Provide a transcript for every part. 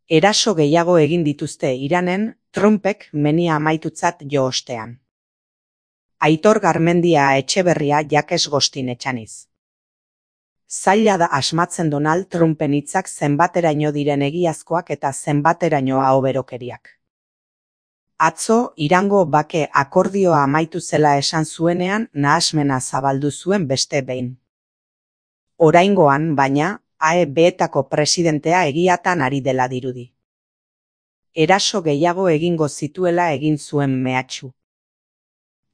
Eraso gehiago egin dituzte Iranen, Trumpek menia amaitutzat jo ostean. Aitor Garmendia Etxeberria Jakes Gostin etxaniz. Zaila da asmatzen Donald Trumpen hitzak zenbateraino diren egiazkoak eta zenbateraino ahoberokeriak. Atzo, Irango bake akordioa amaitu zela esan zuenean nahasmena zabaldu zuen beste behin. Oraingoan, baina, AEB-etako presidentea egiatan ari dela dirudi. Eraso gehiago egingo zituela egin zuen mehatxu.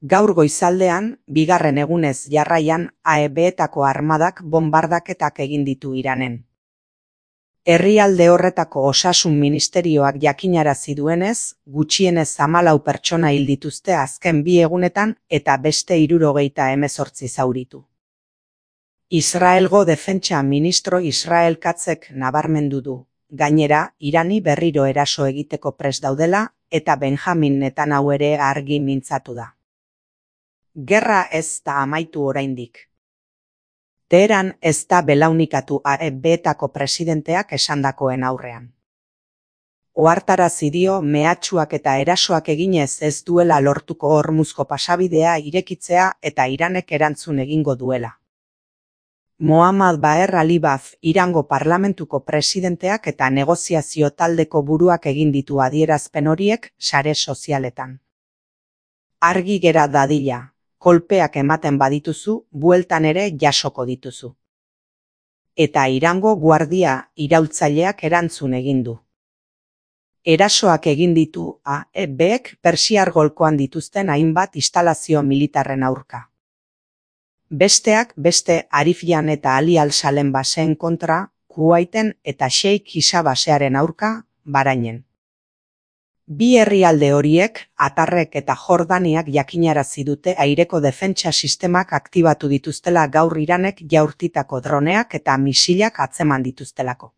Gaur goizaldean, bigarren egunez jarraian AEB-etako armadak bonbardaketak egin ditu Iranen. Herrialde horretako osasun ministerioak jakinarazi duenez, gutxienez 14 pertsona hil dituzte azken 2 egunetan eta beste 78 zauritu. Israelgo defentsa ministro Israel Katzek nabarmendu du. Gainera, Irani berriro eraso egiteko prest daudela eta Benjamin Netanyahu ere argi mintzatu da. Gerra ez da amaitu oraindik. Teheran ez da belaunikatu AEB-etako presidenteak esandakoen aurrean. Ohartarazi dio mehatxuak eta erasoak eginez ez duela lortuko Hormuzko pasabidea irekitzea eta Iranek erantzun egingo duela. Mohammad Baher Alibaf, Irango parlamentuko presidenteak eta negoziazio taldeko buruak egin ditu adierazpen horiek sare sozialetan. Argi gera dadila. Kolpeak ematen badituzu, bueltan ere jasoko dituzu. Eta Irango guardia iraultzaileak erantzun egin du. Erasoak egin ditu AEB-ek Persiar golkoan dituzten hainbat instalazio militarren aurka. Besteak beste Arifian eta Ali al-Salem baseen kontra, Kuwaiten eta Sheikh Isa basearen aurka, Bahrainen. Bi herrialde horiek, Atarrek eta Jordaniak jakinarazi dute aireko defentsa sistemak aktibatu dituztela gaur Iranek jaurtitako droneak eta misilak atzeman dituztelako.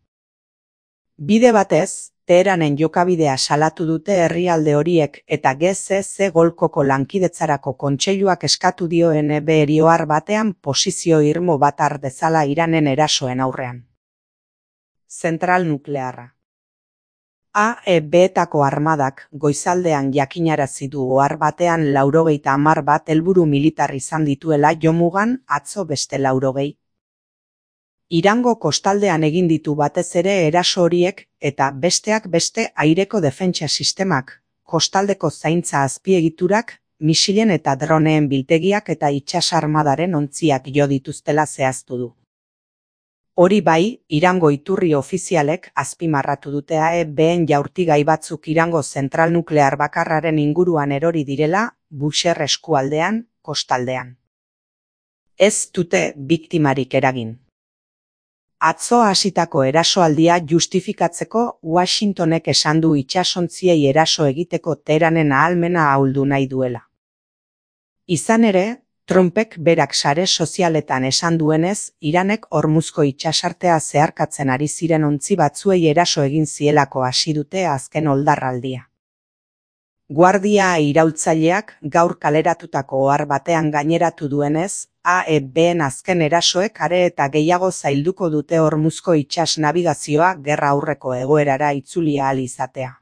Bide batez, Teheranen jokabidea salatu dute herrialde horiek eta GCC Golkoko lankidetzarako kontseiluak eskatu dio NBR ohar batean posizio irmo bat har dezala Iranen erasoen aurrean. Zentral nuklearra. AEB-etako armadak goizaldean jakinarazi du ohar batean 90 bat helburu militar izan dituela jomugan atzo beste 90. Irango kostaldean egin ditu batez ere eraso horiek eta besteak beste aireko defentsa sistemak, kostaldeko zaintza azpiegiturak, misilen eta droneen biltegiak eta itsas armadaren ontziak jo dituztela zehaztu du. Hori bai, Irango iturri ofizialek azpimarratu dute AEB-en jaurtigai batzuk Irango zentral nuklear bakarraren inguruan erori direla, Bushehr eskualdean, kostaldean. Ez dute biktimarik eragin. Atzo hasitako erasoaldia justifikatzeko Washingtonek esan du itsasontziei eraso egiteko Teheranen ahalmena ahuldu nahi duela. Izan ere, Trumpek berak sare sozialetan esan duenez, Iranek Hormuzko itsasartea zeharkatzen ari ziren ontzi batzuei eraso egin zielako hasi dute azken oldarraldia. Guardia iraultzaileak gaur kaleratutako ohar batean gaineratu duenez, AEB-en azken erasoek are eta gehiago zailduko dute Hormuzko itsas nabigazioa gerra aurreko egoerara itzuli ahal izatea.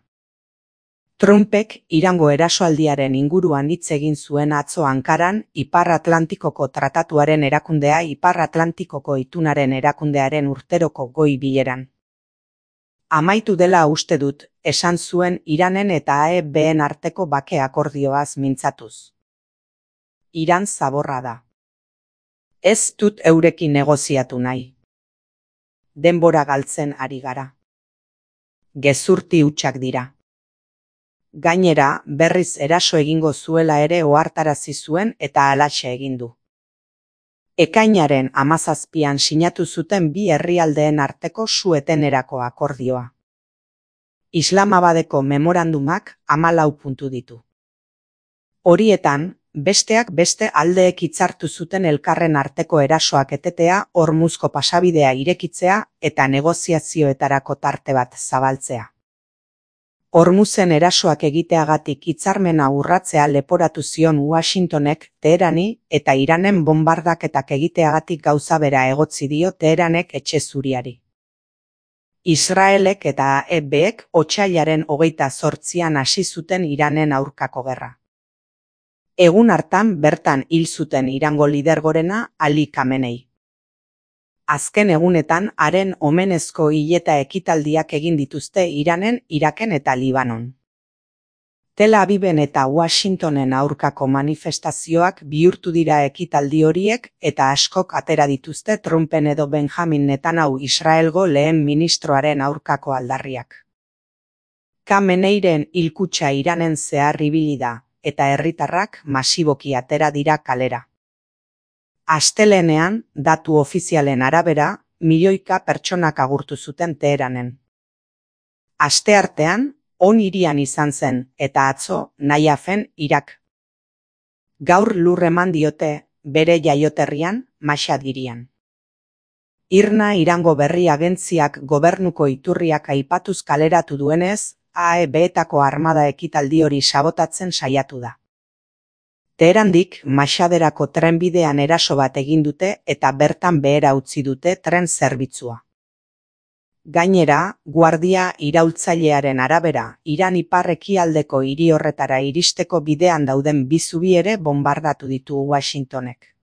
Trumpek Irango erasoaldiaren inguruan hitz egin zuen atzo Ankaran, Ipar Atlantikoko Tratatuaren erakundea Ipar Atlantikoko itunaren erakundearen urteroko goi bileran. Amaitu dela uste dut, esan zuen Iranen eta AEB-en arteko bake akordioaz mintzatuz. Iran zaborra da. Ez dut eurekin negoziatu nahi. Denbora galtzen ari gara. Gezurti hutsak dira. Gainera, berriz eraso egingo zuela ere ohartarazi zuen eta halaxe egin du. Ekainaren 17an sinatu zuten bi herrialdeen arteko su-etenerako akordioa. Islamabadeko memorandumak 14 puntu ditu. Horietan, besteak beste aldeek hitzartu zuten elkarren arteko erasoak etetea, Hormuzko pasabidea irekitzea eta negoziazioetarako tarte bat zabaltzea. Hormuzen erasoak egiteagatik hitzarmena urratzea leporatu zion Washingtonek Teherani eta Iranen bonbardaketak egiteagatik gauza bera egotzi dio Teheranek etxe zuriari. Israelek eta AEBek otsailaren 28an hasi zuten Iranen aurkako gerra. Egun hartan bertan hil zuten Irango lidergorena Ali Khamenei. Azken egunetan haren omenezko hileta ekitaldiak egin dituzte Iranen, Iraken eta Libanon. Tel Aviven eta Washingtonen aurkako manifestazioak bihurtu dira ekitaldi horiek eta askok atera dituzte Trumpen edo Benjamin Netanyahu Israelgo lehen ministroaren aurkako aldarriak. Khameneiren hilkutxa Iranen zehar ibili da, eta herritarrak masiboki atera dira kalera. Astelehenean, datu ofizialen arabera, milioika pertsonak agurtu zuten Teheranen. Asteartean, On hirian izan zen, eta atzo, Naiafen, Irak. Gaur lur eman diote, bere jaioterrian, Mashhad hirian. IRNA Irango berri agentziak gobernuko iturriak aipatuz kaleratu duenez, AEBetako armada ekitaldi hori sabotatzen saiatu da. Teherandik Mashhaderako trenbidean eraso bat egin dute eta bertan behera utzi dute tren zerbitzua. Gainera, guardia iraultzailearen arabera, Iran ipar-ekialdeko hiri horretara iristeko bidean dauden bi zubi ere bonbardatu ditu Washingtonek.